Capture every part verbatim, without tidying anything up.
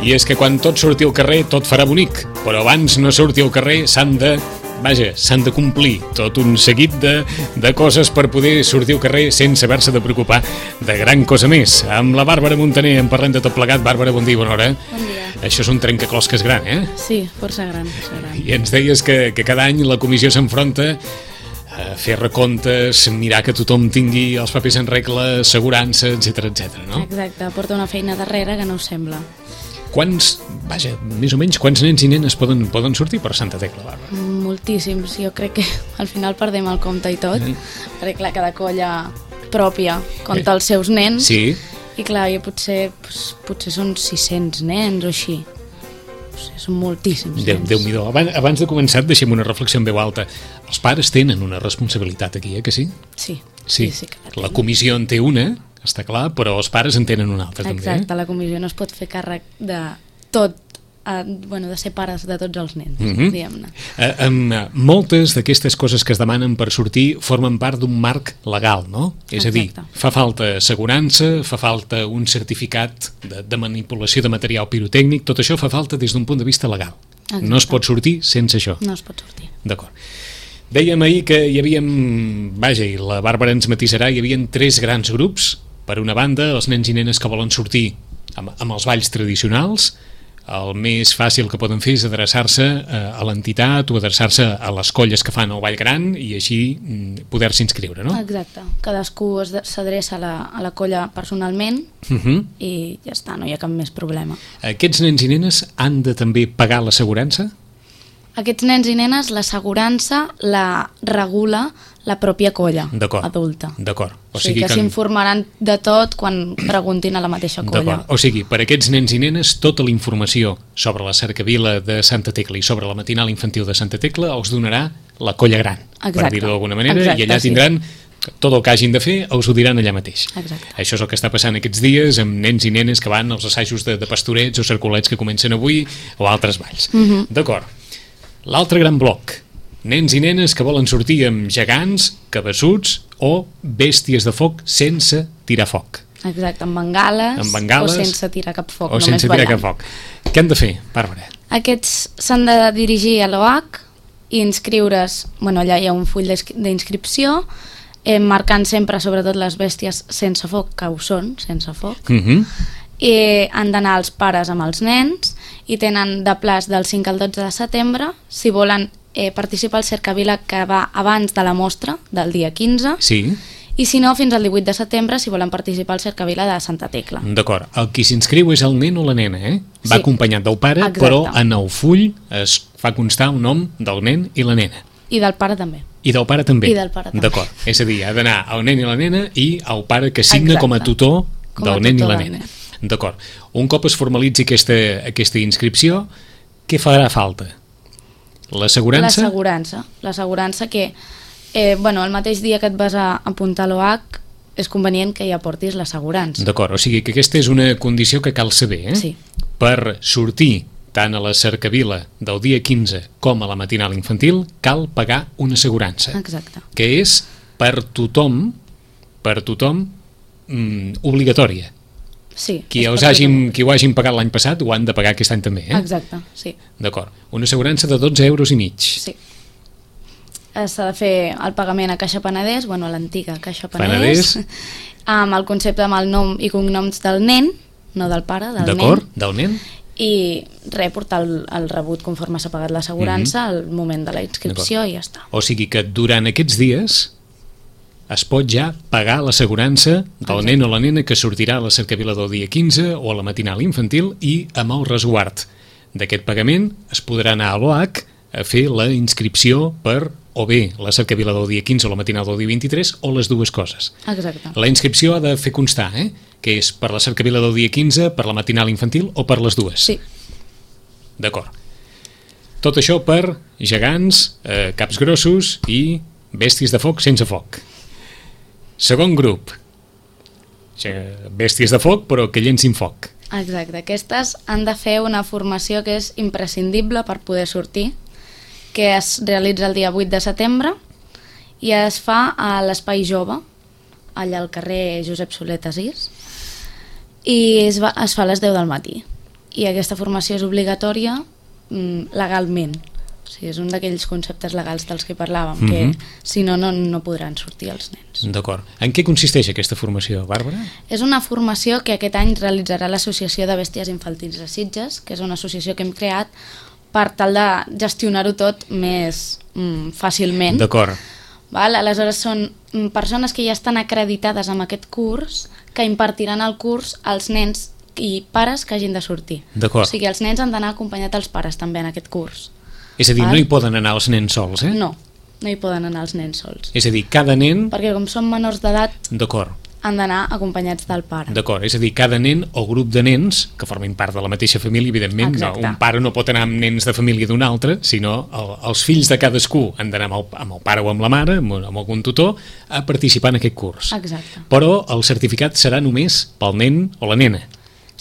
I és que quan tot surti al carrer tot farà bonic, però abans no surti al carrer s'han de... Vaja, s'han de complir tot un seguit de, de coses per poder sortir al carrer sense haver-se de preocupar de gran cosa més. Amb la Bàrbara Montaner en parlem de tot plegat. Bàrbara, bon dia, bona hora. Bon dia. Això és un trencaclosques gran, eh? Sí, força gran, força gran. I ens deies que, que cada any la comissió s'enfronta a fer recomptes, mirar que tothom tingui els papers en regla, assegurança, etcètera, etcètera, no? Exacte, porta una feina darrere que no us sembla. Quants, vaja, més o menys, quants nens i nenes poden, poden sortir per Santa Tecla, Bàrbara? Moltíssims, jo crec que al final perdem el compte i tot, Mm. perquè clar, cada colla pròpia compta els seus nens, Sí, i clar, jo potser, doncs, potser són sis-cents nens o així. O sigui, són moltíssims Déu, nens. Déu-n'hi-do. Abans, abans de començar, deixem una reflexió en veu alta. Els pares tenen una responsabilitat aquí, eh, que sí? Sí, Sí, sí, sí que la la tenen. comissió en té una, està clar, però els pares en tenen una altra, Exacte, també. la comissió no es pot fer càrrec de tot, eh, bueno, de ser pares de tots els nens, Mhm. diguem-ne. Eh? Eh, um, moltes d'aquestes coses que es demanen per sortir formen part d'un marc legal, no? És a dir, Exacte. fa falta assegurança, fa falta un certificat de, de manipulació de material pirotècnic, tot això fa falta des d'un punt de vista legal. Exacte. No es pot sortir sense això. No es pot sortir. D'acord. Dèiem ahir que hi havia, vaja, i la Bàrbara ens matisarà, hi havia tres grans grups. Per una banda, els nens i nenes que volen sortir amb, amb els balls tradicionals. El més fàcil que poden fer és adreçar-se a l'entitat o adreçar-se a les colles que fan el ball gran i així poder-se inscriure, no? Exacte. Cadascú es de- s'adreça a, la, a la colla personalment Uh -huh. i ja està, no hi ha cap més problema. Aquests nens i nenes han de també pagar l'assegurança? Aquests nens i nenes, l'assegurança la regula la pròpia colla D'acord. adulta. D'acord. O sigui que s'informaran de tot quan preguntin a la mateixa colla. D'acord. O sigui, per a aquests nens i nenes, tota la informació sobre la cercavila de Santa Tecla i sobre la matinal infantil de Santa Tecla els donarà la colla gran, Exacte. per dir-ho d'alguna manera, Exacte, i allà sí. tindran tot el que hagin de fer, us ho diran allà mateix. Exacte. Això és el que està passant aquests dies amb nens i nenes que van als assajos de, de pastorets o cercolets que comencen avui o altres balls. Uh -huh. D'acord. L'altre gran bloc, nens i nenes que volen sortir amb gegants, cabassuts o bèsties de foc sense tirar foc. Exacte, amb bengales, Amb bengales o sense tirar cap foc, o només sense tirar ballant. cap foc. Què han de fer, Bàrbara? Aquests s'han de dirigir a l'O H i inscriure's, bueno, allà hi ha un full d'inscri- d'inscripció, eh, marcant sempre sobretot les bèsties sense foc, que ho són, sense foc, Uh -huh. i han d'anar els pares amb els nens i tenen de plaç del cinc al dotze de setembre si volen eh, participar al Cercavila que va abans de la mostra del dia quinze Sí, i si no fins al divuit de setembre si volen participar al Cercavila de Santa Tecla. d'acord. El qui s'inscriu és el nen o la nena, eh? Va Sí. acompanyat del pare, Exacte. però en el full es fa constar un nom del nen i la nena. I del pare també. I del pare també. I del pare també. D'acord. És a dir, ha d'anar el nen i la nena i el pare que signa Exacte. com a tutor Com a del nen i tutor la del nena. nen. D'acord. Un cop es formalitzi aquesta, aquesta inscripció, què farà falta? L'assegurança? L'assegurança. L'assegurança que, eh, bueno, el mateix dia que et vas a apuntar a l'O H és convenient que hi aportis l'assegurança. D'acord, o sigui que aquesta és una condició que cal saber, eh? Sí. Per sortir tant a la cercavila del dia quinze com a la matinal infantil, cal pagar una assegurança, Exacte. que és per tothom, per tothom, mm, obligatòria. Sí. Qui, és els per hagin, tothom. qui ho hagin pagat l'any passat ho han de pagar aquest any també, eh? Exacte, sí. D'acord. Una assegurança de dotze euros i mig. Sí. Eh, S'ha de fer el pagament a Caixa Penedès, bueno, a l'antiga Caixa Penedès. Penedès, amb el concepte amb el nom i cognoms del nen, no del pare, del D'acord? nen, Del nen? i res, portar el, el rebut conforme s'ha pagat l'assegurança Mhm. al moment de la inscripció i ja està. O sigui que durant aquests dies es pot ja pagar l'assegurança del Exacte. nen o la nena que sortirà a la cercavila del dia quinze o a la matinal infantil i amb el resguard d'aquest pagament es podrà anar a l'O H a fer la inscripció per o bé la cercavila del dia quinze o la matinal del dia vint-i-tres o les dues coses. Exacte. La inscripció ha de fer constar, eh? Que és per la cercavila del dia quinze, per la matinal infantil o per les dues. Sí. D'acord. Tot això per gegants, eh, caps grossos i bèsties de foc sense foc. Segon grup. Ge- Bèsties de foc, però que llencin foc. Exacte. Aquestes han de fer una formació que és imprescindible per poder sortir, que es realitza el dia vuit de setembre i es fa a l'Espai Jove, allà al carrer Josep Soler sis, i es, va, es fa a les deu del matí. i aquesta formació és obligatòria mm, legalment. O sigui, és un d'aquells conceptes legals dels que parlàvem, mm-hmm. que si no, no, no podran sortir els nens. D'acord. En què consisteix aquesta formació, Bàrbara? És una formació que aquest any realitzarà l'Associació de Bèsties Infantils de Sitges, que és una associació que hem creat per tal de gestionar-ho tot més mm, fàcilment. D'acord. Val? Aleshores són persones que ja estan acreditades amb aquest curs, que impartiran el curs als nens i pares que hagin de sortir. D'acord. O sigui, els nens han d'anar acompanyats els pares també en aquest curs. És a dir, Val? no hi poden anar els nens sols, eh? No, no hi poden anar els nens sols. És a dir, cada nen... Perquè com són menors d'edat, D'acord. han d'anar acompanyats del pare. D'acord, és a dir, cada nen o grup de nens que formin part de la mateixa família, evidentment, no, un pare no pot anar amb nens de família d'un altre, sinó el, els fills de cadascú han d'anar amb, amb el pare o amb la mare, amb, amb algun tutor, a participar en aquest curs. Exacte. Però el certificat serà només pel nen o la nena.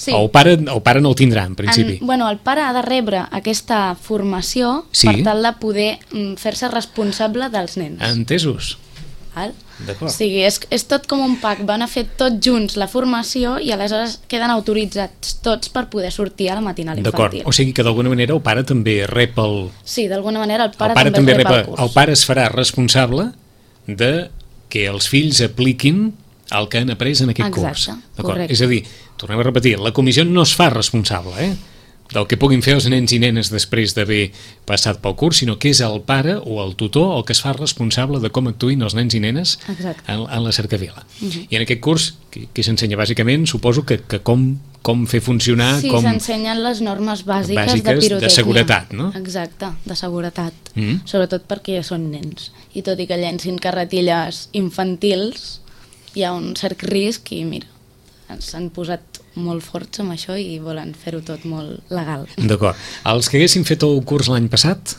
Sí. El pare, el pare no el tindrà, en principi. En, bueno, el pare ha de rebre aquesta formació sí? per tal de poder mm, fer-se responsable dels nens. Entesos. Val? D'acord. O sigui, és, és tot com un pack, van a fer tots junts la formació i aleshores queden autoritzats tots per poder sortir a la matinal infantil. D'acord, o sigui que d'alguna manera el pare també rep el... Sí, d'alguna manera el pare, el pare també, també rep rep el curs. El pare es farà responsable de que els fills apliquin el que han après en aquest Exacte, curs. correcte. És a dir, tornem a repetir, la comissió no es fa responsable, eh? del que puguin fer els nens i nenes després d'haver passat pel curs, sinó que és el pare o el tutor el que es fa responsable de com actuïn els nens i nenes en, en la cercavila. Uh-huh. I en aquest curs, que, que s'ensenya bàsicament, suposo que, que com, com fer funcionar... Sí, com... s'ensenyen les normes bàsiques, bàsiques de pirotècnia. de seguretat, no? Exacte, de seguretat. Uh-huh. Sobretot perquè ja són nens. I tot i que llencin carretilles infantils, hi ha un cert risc i mira, s'han posat molt forts amb això i volen fer-ho tot molt legal. D'acord. Els que haguessin fet el curs l'any passat?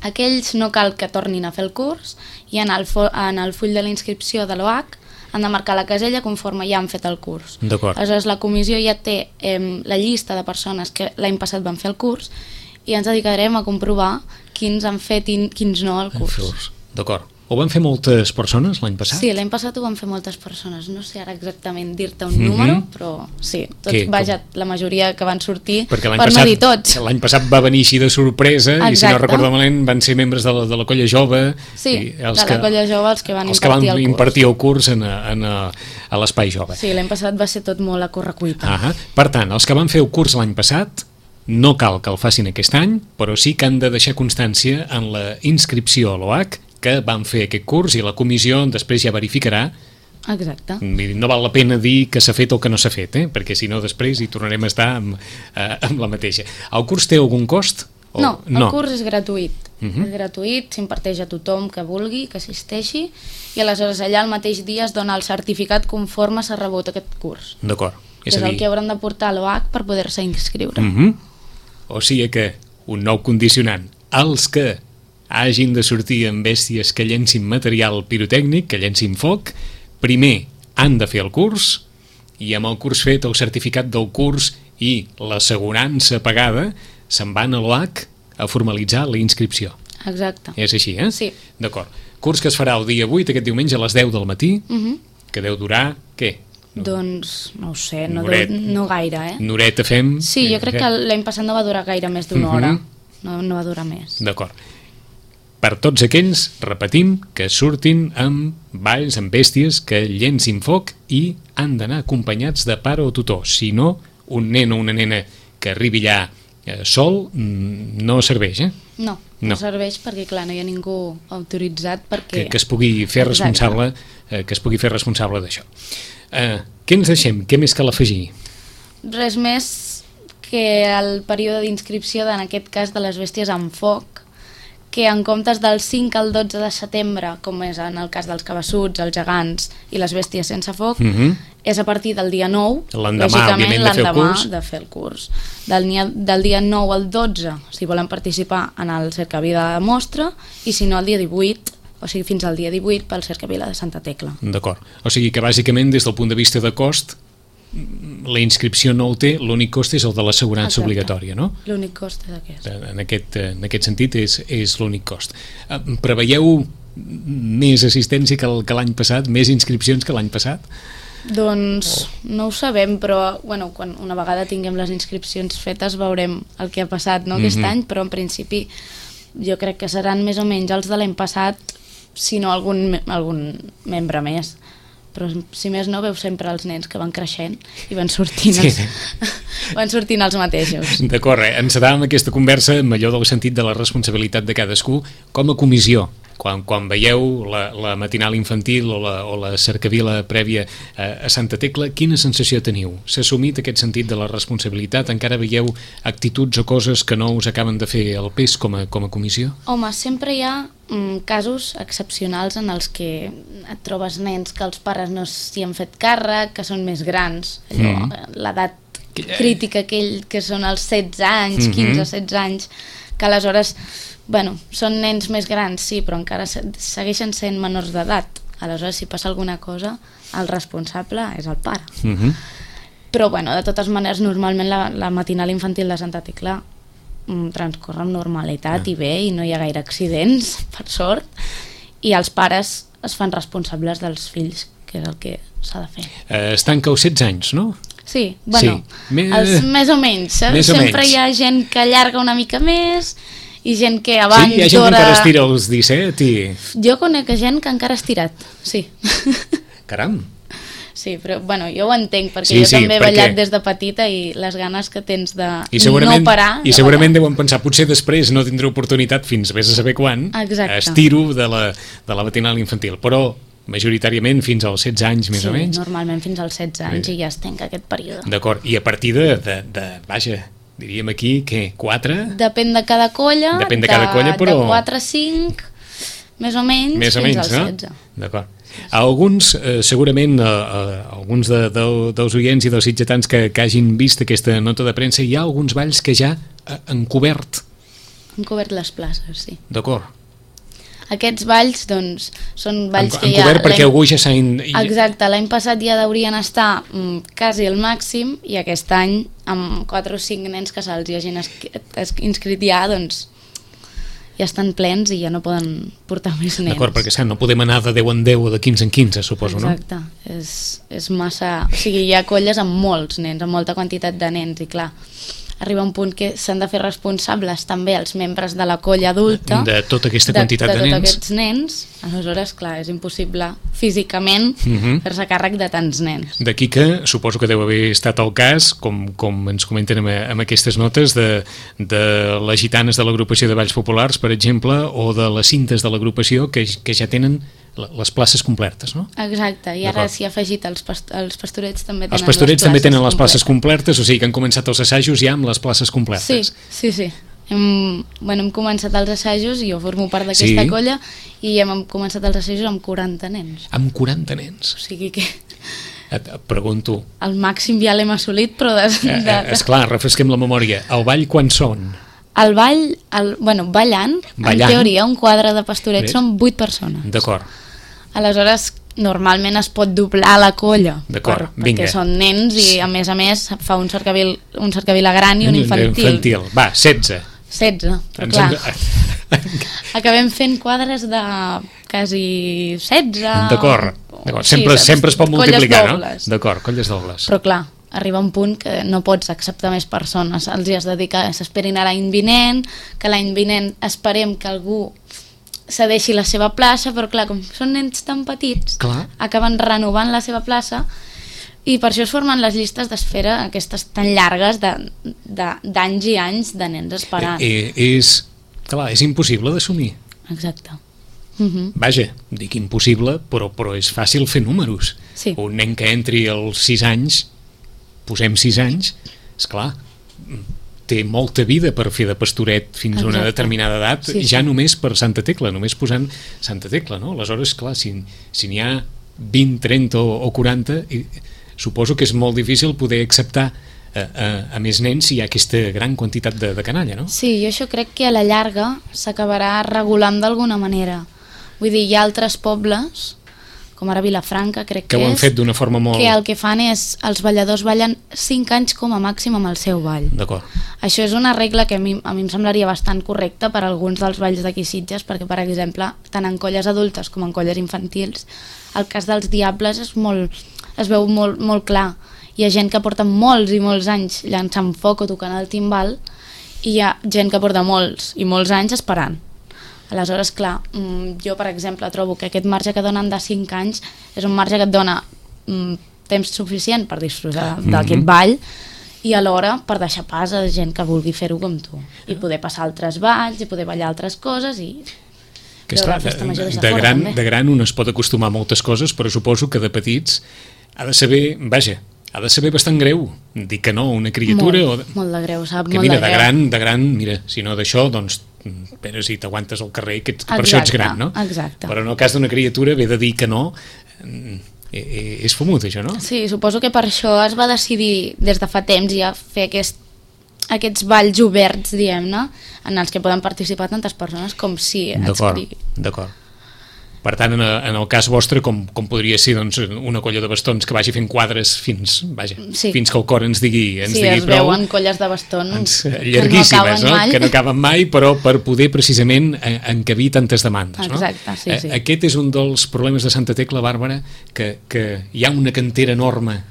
Aquells no cal que tornin a fer el curs i en el, en el full de la inscripció de l'O H han de marcar la casella conforme ja han fet el curs. D'acord. Aleshores la comissió ja té eh, la llista de persones que l'any passat van fer el curs i ens dedicarem a comprovar quins han fet i quins no el curs. D'acord. Ho van fer moltes persones l'any passat? Sí, l'any passat ho van fer moltes persones. No sé ara exactament dir-te un mm-hmm. número, però sí, tots, Què, vaja, com? La majoria que van sortir, per passat, no dir tots. L'any passat va venir així de sorpresa. Exacte. I si no recordo malament van ser membres de la, de la colla jove. Sí, i els de que, la colla jove els que van els impartir, que van el, curs. impartir el curs en, en, a l'espai jove. Sí, l'any passat va ser tot molt a correcuita. Ah, per tant, els que van fer el curs l'any passat no cal que el facin aquest any, però sí que han de deixar constància en la inscripció a l'O H que van fer aquest curs i la comissió després ja verificarà. Exacte. No val la pena dir que s'ha fet o que no s'ha fet, eh? perquè si no després hi tornarem a estar amb, eh, amb la mateixa. El curs té algun cost? O... No, el no. curs és gratuït. Uh-huh. És gratuït, s'imparteix a tothom que vulgui, que assisteixi, i aleshores allà el mateix dia es dona el certificat conforme s'ha rebut aquest curs. D'acord. És, és el dir... que hauran de portar a l'O H per poder-se inscriure. Uh-huh. O sigui que, un nou condicionant, els que hagin de sortir amb bèsties que llencin material pirotècnic, que llencin foc, primer han de fer el curs i amb el curs fet, el certificat del curs i l'assegurança pagada se'n van a l'O H a formalitzar la inscripció. Exacte. És així, eh? Sí. D'acord. Curs que es farà el dia vuit, aquest diumenge a les deu del matí, uh-huh. que deu durar, què? Doncs no ho sé, no, Noret, deu, no gaire, eh? Noreta fem... Sí, jo crec que l'any passat no va durar gaire més d'una uh-huh. hora, no, no va durar més. D'acord. Per tots aquells, repetim, que surtin amb balls, amb bèsties, que llencin foc i han d'anar acompanyats de pare o tutor. Si no, un nen o una nena que arribi allà eh, sol no serveix, eh? No, no, no serveix perquè, clar, no hi ha ningú autoritzat perquè... Que, que es pugui fer responsable, eh, que es pugui fer responsable d'això. Eh, què ens deixem? Què més cal afegir? Res més que el període d'inscripció, en aquest cas de les bèsties amb foc, que en comptes del cinc al dotze de setembre, com és en el cas dels cabassuts, els gegants i les bèsties sense foc, uh-huh. és a partir del dia nou, l'endemà, òbviament, de fer el curs. de fer el curs. Del, del dia nou al dotze, si volen participar en el cercavila de mostra, i si no, el dia divuit, o sigui, fins al dia divuit, pel cercavila de Santa Tecla. D'acord. O sigui que, bàsicament, des del punt de vista de cost, la inscripció no ho té, l'únic cost és el de l'assegurança obligatòria, no? L'únic cost és aquest. En aquest, en aquest sentit és, és l'únic cost. Preveieu més assistència que l'any passat, més inscripcions que l'any passat? Doncs no ho sabem, però bueno, quan una vegada tinguem les inscripcions fetes veurem el que ha passat, no, aquest Mhm. any, però en principi jo crec que seran més o menys els de l'any passat, si no algun, me- algun membre més. Però si més no, veus sempre els nens que van creixent i van sortint els, Sí. van sortint els mateixos. D'acord, eh? Encetàvem aquesta conversa amb allò del sentit de la responsabilitat de cadascú com a comissió. Quan, quan veieu la, la matinal infantil o la, o la cercavila prèvia a, a Santa Tecla, quina sensació teniu? S'ha assumit aquest sentit de la responsabilitat? Encara veieu actituds o coses que no us acaben de fer el pes com a, com a comissió? Home, sempre hi ha mm, casos excepcionals en els que et trobes nens que els pares no s'hi han fet càrrec, que són més grans, allò, Mhm. l'edat Que- crítica aquell que són els setze anys, Mhm. quinze setze anys, que aleshores, bueno, són nens més grans, sí, però encara se- segueixen sent menors d'edat. Aleshores, si passa alguna cosa, el responsable és el pare. Uh -huh. Però, bueno, de totes maneres, normalment la, la matinal infantil de Santa Tecla mm, transcorre amb normalitat Ah. i bé, i no hi ha gaire accidents, per sort, i els pares es fan responsables dels fills, que és el que s'ha de fer. Eh, es tanca als setze anys, no? Sí, bueno, Sí. Me- els, més o menys, eh? Més o Sempre menys. hi ha gent que allarga una mica més i gent que Sí, abans hi ha gent que encara es tira als disset i... Jo conec gent que encara ha estirat, sí. Caram! Sí, però bueno, jo ho entenc, perquè Sí, jo sí, també he perquè- ballat des de petita i les ganes que tens de I segurament, no parar... i de segurament ballar. deuen pensar, potser després no tindré oportunitat fins vés a saber quan, Exacte. estiro de la, de la matinal infantil, però majoritàriament fins als setze anys més Sí, o menys. normalment fins als setze anys Bé. i ja es tanca aquest període. D'acord, i a partir de, de, de, vaja, diríem aquí, què, quatre? Depèn de cada colla, Depèn de cada colla, però- de quatre a cinc, més o menys, Més o fins menys, als no? setze. D'acord. Alguns, eh, segurament, eh, eh, alguns de, de, dels oients i dels sitgetans que, que hagin vist aquesta nota de premsa, hi ha alguns balls que ja eh, han cobert, Han cobert les places, sí. d'acord? Aquests balls, doncs, són balls Han, que han ja... cobert perquè l'any- algú ja s'ha... In... Exacte, l'any passat ja deurien estar mm, quasi al màxim i aquest any, amb quatre o cinc nens que se'ls hi hagin esqui- es- inscrit ja, doncs ja estan plens i ja no poden portar més nens. D'acord, perquè clar, no podem anar de deu en deu o de quinze en quinze, suposo, Exacte, és, és massa... O sigui, hi ha colles amb molts nens, amb molta quantitat de nens, i clar, arriba un punt que s'han de fer responsables també els membres de la colla adulta no? De tota aquesta quantitat de, de, de nens. tots aquests nens. Aleshores, clar, és impossible físicament Mhm. fer-se càrrec de tants nens. D'aquí que suposo que deu haver estat el cas, com, com ens comenten amb, amb aquestes notes, de, de les gitanes de l'agrupació de Balls Populars, per exemple, o de les cintes de l'agrupació, que, que ja tenen la- les places complertes, no? Exacte, i ara D'acord. s'hi ha afegit els, past els pastorets també tenen Els pastorets també tenen les places completes. complertes, o sigui que han començat els assajos ja amb les places Sí, complertes. sí, sí. Hem, bueno, hem començat els assajos, jo formo part d'aquesta Sí. colla, i hem començat els assajos amb quaranta nens. Amb quaranta nens. O sigui que Et, et pregunto, el màxim ja l'hem assolit, però de, eh, de, eh, esclar, refresquem la memòria, el ball quan són? el ball, el, bueno, ballant, Ballant. en teoria, un quadre de pastorets Bé. són vuit persones. D'acord. Aleshores, normalment es pot doblar la colla, D'acord, per- vinga. perquè són nens i, a més a més, fa un cercavil, un cercavil gran i un infantil. infantil. Va, setze. setze, però Ens clar, hem- acabem fent quadres de quasi setze... D'acord, d'acord. Sí, Sempre, saps? sempre es pot Colles multiplicar, dobles. no? D'acord, colles dobles. Però clar, arriba un punt que no pots acceptar més persones, els hi has de dir que s'esperin a l'any vinent, que l'any vinent esperem que algú cedeixi la seva plaça, però clar, com són nens tan petits, Clar. acaben renovant la seva plaça, i per això es formen les llistes d'espera aquestes tan llargues de- de- d'anys i anys de nens esperant. Eh, eh, és, clar, és impossible d'assumir. Exacte. Mhm. Vaja, dic impossible, però, però és fàcil fer números. Sí. Un nen que entri als sis anys, posem sis anys, esclar, té molta vida per fer de pastoret fins a una Exacte. determinada edat, Sí, ja sí. només per Santa Tecla, només posant Santa Tecla, no? Aleshores, clar, si, si n'hi ha vint, trenta o, o quaranta, i, suposo que és molt difícil poder acceptar a, a, a més nens si hi ha aquesta gran quantitat de, de canalla, no? Sí, jo això crec que a la llarga s'acabarà regulant d'alguna manera. Vull dir, hi ha altres pobles, com ara Vilafranca, crec Que que, ho han és, fet d'una forma molt... que el que fan és, els balladors ballen cinc anys com a màxim amb el seu ball. D'acord. Això és una regla que a mi, a mi em semblaria bastant correcta per a alguns dels balls d'aquí Sitges, perquè, per exemple, tant en colles adultes com en colles infantils, el cas dels diables és molt, es veu molt, molt clar. Hi ha gent que porta molts i molts anys llançant foc o tocant el timbal i hi ha gent que porta molts i molts anys esperant. Aleshores, clar, jo, per exemple, trobo que aquest marge que donen de cinc anys és un marge que et dona mm, temps suficient per disfrutar mm-hmm. d'aquest ball i alhora per deixar pas a gent que vulgui fer-ho com tu i poder passar altres balls i poder ballar altres coses i que veure la festa major des de, de, fora, gran, de gran un es pot acostumar a moltes coses, però suposo que de petits ha de saber, vaja, ha de saber bastant greu dir que no a una criatura. Molt, o de... molt de greu, sap? Que molt mira, de, de greu. gran, de gran, mira, si no d'això, doncs, però si t'aguantes al carrer, que, que per això ets gran, no? Exacte. Però en el cas d'una criatura, ve de dir que no, és fumut, això, no? Sí, suposo que per això es va decidir des de fa temps ja fer aquest, aquests balls oberts, diguem-ne, en els que poden participar tantes persones com si ens D'acord, d'acord. Per tant, en, en el cas vostre, com, com podria ser doncs, una colla de bastons que vagi fent quadres fins, vaja, sí. fins que el cor ens digui, ens sí, digui es prou. veuen colles de bastons ens, llarguíssimes, que no, no? Que no acaben mai, però per poder precisament encabir tantes demandes. Exacte, no? sí, sí. Aquest és un dels problemes de Santa Tecla, Bàrbara, que, que hi ha una cantera enorme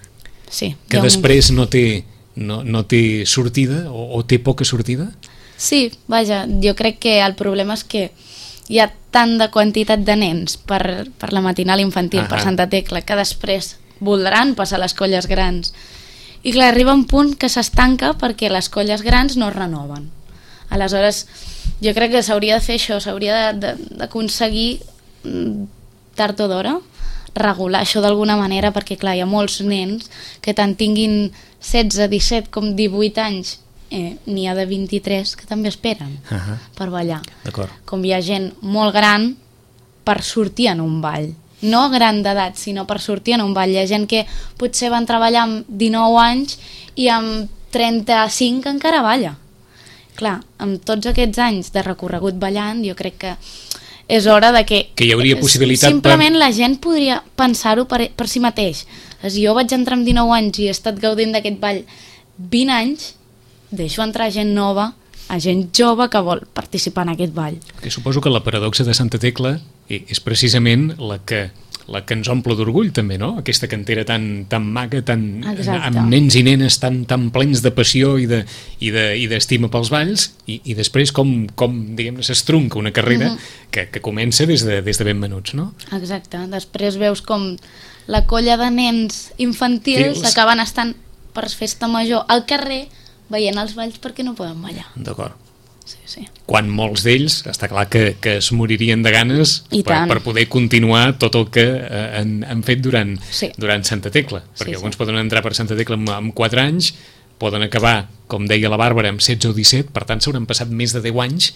sí, que un... després no té, no, no té sortida o, o té poca sortida? Sí, vaja, jo crec que el problema és que hi ha tant de quantitat de nens per, per la matinal infantil, per Santa Tecla, que després voldran passar les colles grans. I clar, arriba un punt que s'estanca perquè les colles grans no es renoven. Aleshores, jo crec que s'hauria de fer això, s'hauria d'aconseguir tard o d'hora regular això d'alguna manera, perquè clar, hi ha molts nens que tant tinguin setze, disset com divuit anys, Eh, n'hi ha de vint-i-tres que també esperen uh -huh. per ballar. Com hi ha gent molt gran per sortir en un ball, no gran d'edat, sinó per sortir en un ball. Hi ha gent que potser van treballar amb dinou anys i amb trenta-cinc encara balla. Clar, amb tots aquests anys de recorregut ballant, jo crec que és hora de que... Que hi hauria possibilitat... Simplement per... la gent podria pensar-ho per, per si mateix. Si jo vaig entrar amb dinou anys i he estat gaudint d'aquest ball vint anys, deixo entrar gent nova, a gent jove que vol participar en aquest ball. Que suposo que la paradoxa de Santa Tecla és precisament la que, la que ens omple d'orgull també, no? Aquesta cantera tan, tan maca, tan, amb nens i nenes tan, tan plens de passió i de, i de, i d'estima pels balls i, i després com, com diguem-ne, s'estrunca una carrera uh-huh. que, que comença des de, des de ben menuts, no? Exacte. Després veus com la colla de nens infantils acaben estant per festa major al carrer veient els balls perquè no poden ballar. D'acord. Sí, sí. Quan molts d'ells, està clar que, que es moririen de ganes per, per poder continuar tot el que eh, han, han fet durant, sí. durant Santa Tecla. Perquè sí, alguns sí. poden entrar per Santa Tecla amb, amb quatre anys, poden acabar, com deia la Bàrbara, amb setze o disset, per tant s'hauran passat més de deu anys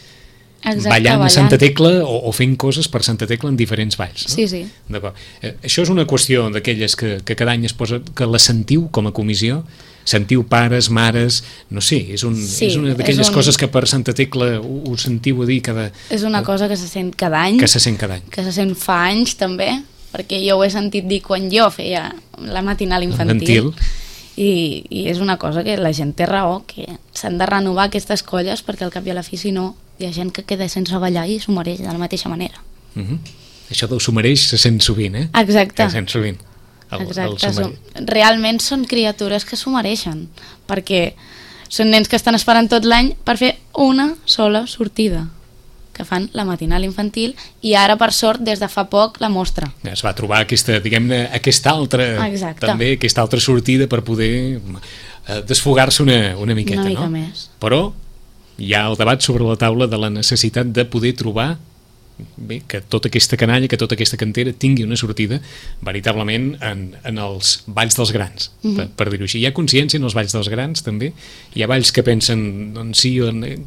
Exacte, ballant, ballant a Santa Tecla o, o fent coses per Santa Tecla en diferents balls. No? Sí, sí. D'acord. Eh, això és una qüestió d'aquelles que, que cada any es posa, que la sentiu com a comissió, sentiu pares, mares, no sé, és, un, sí, és una d'aquelles un... coses que per Santa Tecla ho, ho sentiu a dir cada... És una cosa que se sent cada any. Que se sent cada any. Que se sent fa anys també, perquè jo ho he sentit dir quan jo feia la matinal infantil. infantil. I, I és una cosa que la gent té raó, que s'han de renovar aquestes colles perquè al cap i a la fi, si no, hi ha gent que queda sense ballar i s'ho mereix de la mateixa manera. Uh -huh. Això del s'ho mereix se sent sovint, eh? Exacte. Se sent sovint. El, Exacte, el som, realment són criatures que s'ho mereixen, perquè són nens que estan esperant tot l'any per fer una sola sortida, que fan la matinal infantil, i ara, per sort, des de fa poc, la mostra. Es va trobar aquesta, diguem-ne, aquesta altra, Exacte. també, aquesta altra sortida per poder eh, desfogar-se una, una miqueta, una mica no? més. Però hi ha el debat sobre la taula de la necessitat de poder trobar bé, que tota aquesta canalla, que tota aquesta cantera tingui una sortida veritablement en, en els balls dels grans, uh-huh. per, per dir-ho així. Hi ha consciència en els balls dels grans també? Hi ha balls que pensen doncs, sí,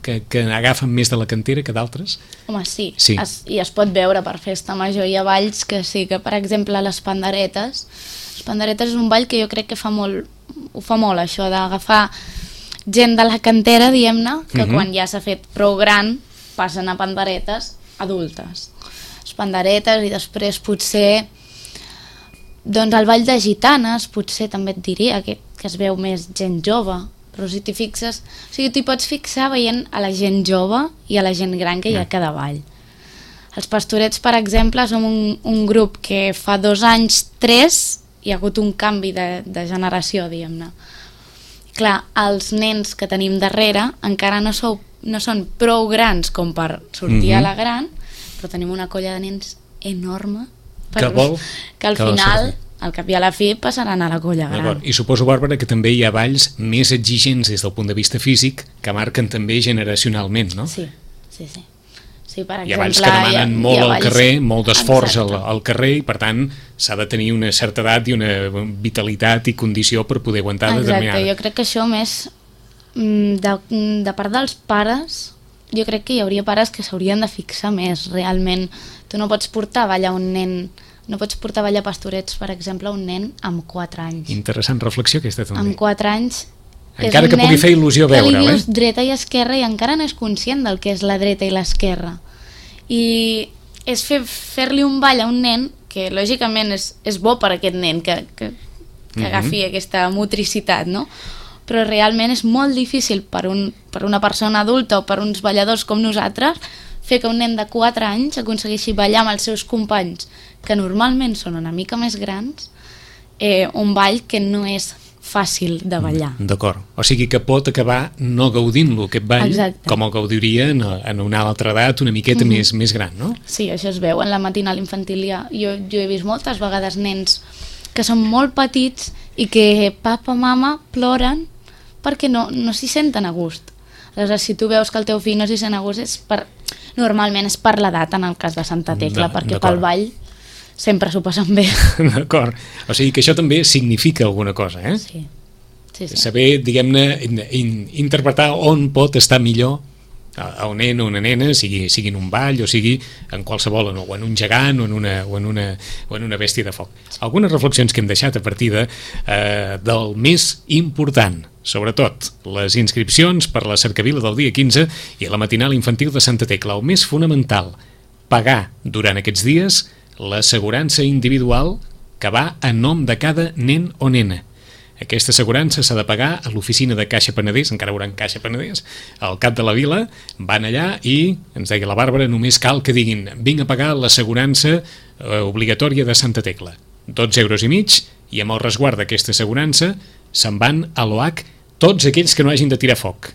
que, que agafen més de la cantera que d'altres? Home, sí, sí. Es, i es pot veure per festa major. Hi ha balls que sí, que per exemple les panderetes, les panderetes és un ball que jo crec que fa molt, ho fa molt això d'agafar gent de la cantera, diguem-ne, que uh-huh. quan ja s'ha fet prou gran passen a panderetes adultes, les panderetes, i després potser doncs el ball de gitanes potser també et diria que, que es veu més gent jove, però si t'hi fixes, o sigui, t'hi pots fixar veient a la gent jove i a la gent gran que hi ha a cada ball. Els Pastorets, per exemple, som un, un grup que fa dos anys, tres, hi ha hagut un canvi de, de generació, diguem-ne. Clar, els nens que tenim darrere encara no, sou, no són prou grans com per sortir mm-hmm. a la gran, però tenim una colla de nens enorme per, que vol que al que final, al cap i a la fi, passaran a la colla gran. I suposo, Bàrbara, que també hi ha balls més exigents des del punt de vista físic que marquen també generacionalment, no? Sí, sí, sí. Sí, per exemple, hi ha balls que demanen ha, molt al balls... carrer, molt d'esforç al, al carrer, i per tant s'ha de tenir una certa edat i una vitalitat i condició per poder aguantar Exacte, determinada. Jo crec que això més de, de part dels pares, jo crec que hi hauria pares que s'haurien de fixar més realment. Tu no pots portar a ballar un nen, no pots portar a ballar pastorets, per exemple, un nen amb quatre anys. Interessant reflexió aquesta també. Amb quatre anys encara que pugui fer il·lusió veure'l, que li eh? dius dreta i esquerra i encara no és conscient del que és la dreta i l'esquerra. I és fer, fer-li un ball a un nen que lògicament és, és bo per a aquest nen que, que, que agafi mm-hmm. aquesta motricitat, no? Però realment és molt difícil per, un, per una persona adulta o per uns balladors com nosaltres fer que un nen de quatre anys aconsegueixi ballar amb els seus companys, que normalment són una mica més grans, eh, un ball que no és fàcil de ballar. D'acord. O sigui que pot acabar no gaudint-lo, aquest ball, exacte, com el gaudiria en, en una altra edat una miqueta mm-hmm. més, més gran, no? Sí, això es veu en la matinal infantil. Jo, jo he vist moltes vegades nens que són molt petits i que papa, mama ploren perquè no, no s'hi senten a gust. Aleshores, si tu veus que el teu fill no s'hi sent a gust, és per, normalment és per l'edat, en el cas de Santa Tecla, perquè pel ball sempre s'ho passen bé. D'acord. O sigui que això també significa alguna cosa, eh? Sí. Sí, sí. Saber, diguem-ne, in, in, interpretar on pot estar millor a un nen o una nena, sigui, sigui en un ball o sigui en qualsevol, o en un gegant o en una, o en una, o en una bèstia de foc. Algunes reflexions que hem deixat a partir de, eh, del més important, sobretot les inscripcions per la cercavila del dia quinze i la matinal infantil de Santa Tecla. El més fonamental, pagar durant aquests dies l'assegurança individual que va a nom de cada nen o nena. Aquesta assegurança s'ha de pagar a l'oficina de Caixa Penedès, encara veuran Caixa Penedès, al cap de la vila, van allà i, ens deia la Bàrbara, només cal que diguin vinc a pagar l'assegurança eh, obligatòria de Santa Tecla. dotze euros i mig, i amb el resguard d'aquesta assegurança se'n van a l'O H tots aquells que no hagin de tirar foc.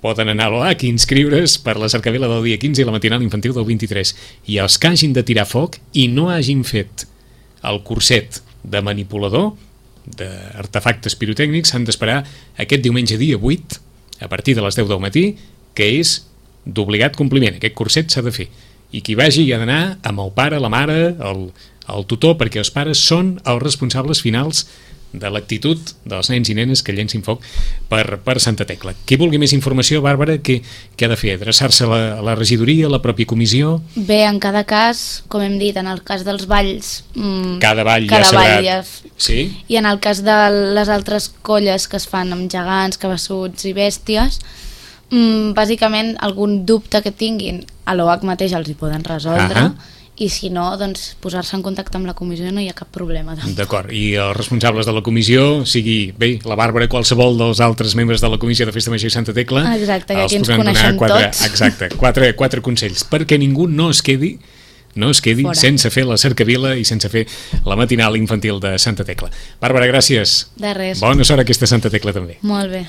Poden anar a l'O H i inscriure's per la cercavila del dia quinze i la matinal infantil del vint-i-tres. I els que hagin de tirar foc i no hagin fet el curset de manipulador d'artefactes pirotècnics s'han d'esperar aquest diumenge dia vuit a partir de les deu del matí, que és d'obligat compliment. Aquest curset s'ha de fer. I qui vagi hi ha d'anar amb el pare, la mare, el, el tutor, perquè els pares són els responsables finals de l'actitud dels nens i nenes que llencin foc per, per Santa Tecla. Qui vulgui més informació, Bàrbara, què, què ha de fer? Adreçar-se a la, a la regidoria, a la pròpia comissió? Bé, en cada cas, com hem dit, en el cas dels balls... Mmm, cada ball cada ja ball ja... Sí? I en el cas de les altres colles que es fan amb gegants, cabassuts i bèsties, mmm, bàsicament algun dubte que tinguin a l'O H mateix els hi poden resoldre. Uh-huh. I si no, doncs posar-se en contacte amb la comissió no hi ha cap problema. D'acord, i els responsables de la comissió, sigui, bé, la Bàrbara, qualsevol dels altres membres de la comissió de Festa Major i Santa Tecla, exacte, que els aquí ens podran coneixem quatre, tots. Exacte, quatre, quatre consells, perquè ningú no es quedi no es quedi Fora. sense fer la cercavila i sense fer la matinal infantil de Santa Tecla. Bàrbara, gràcies. De res. Bona sort a aquesta Santa Tecla també. Molt bé.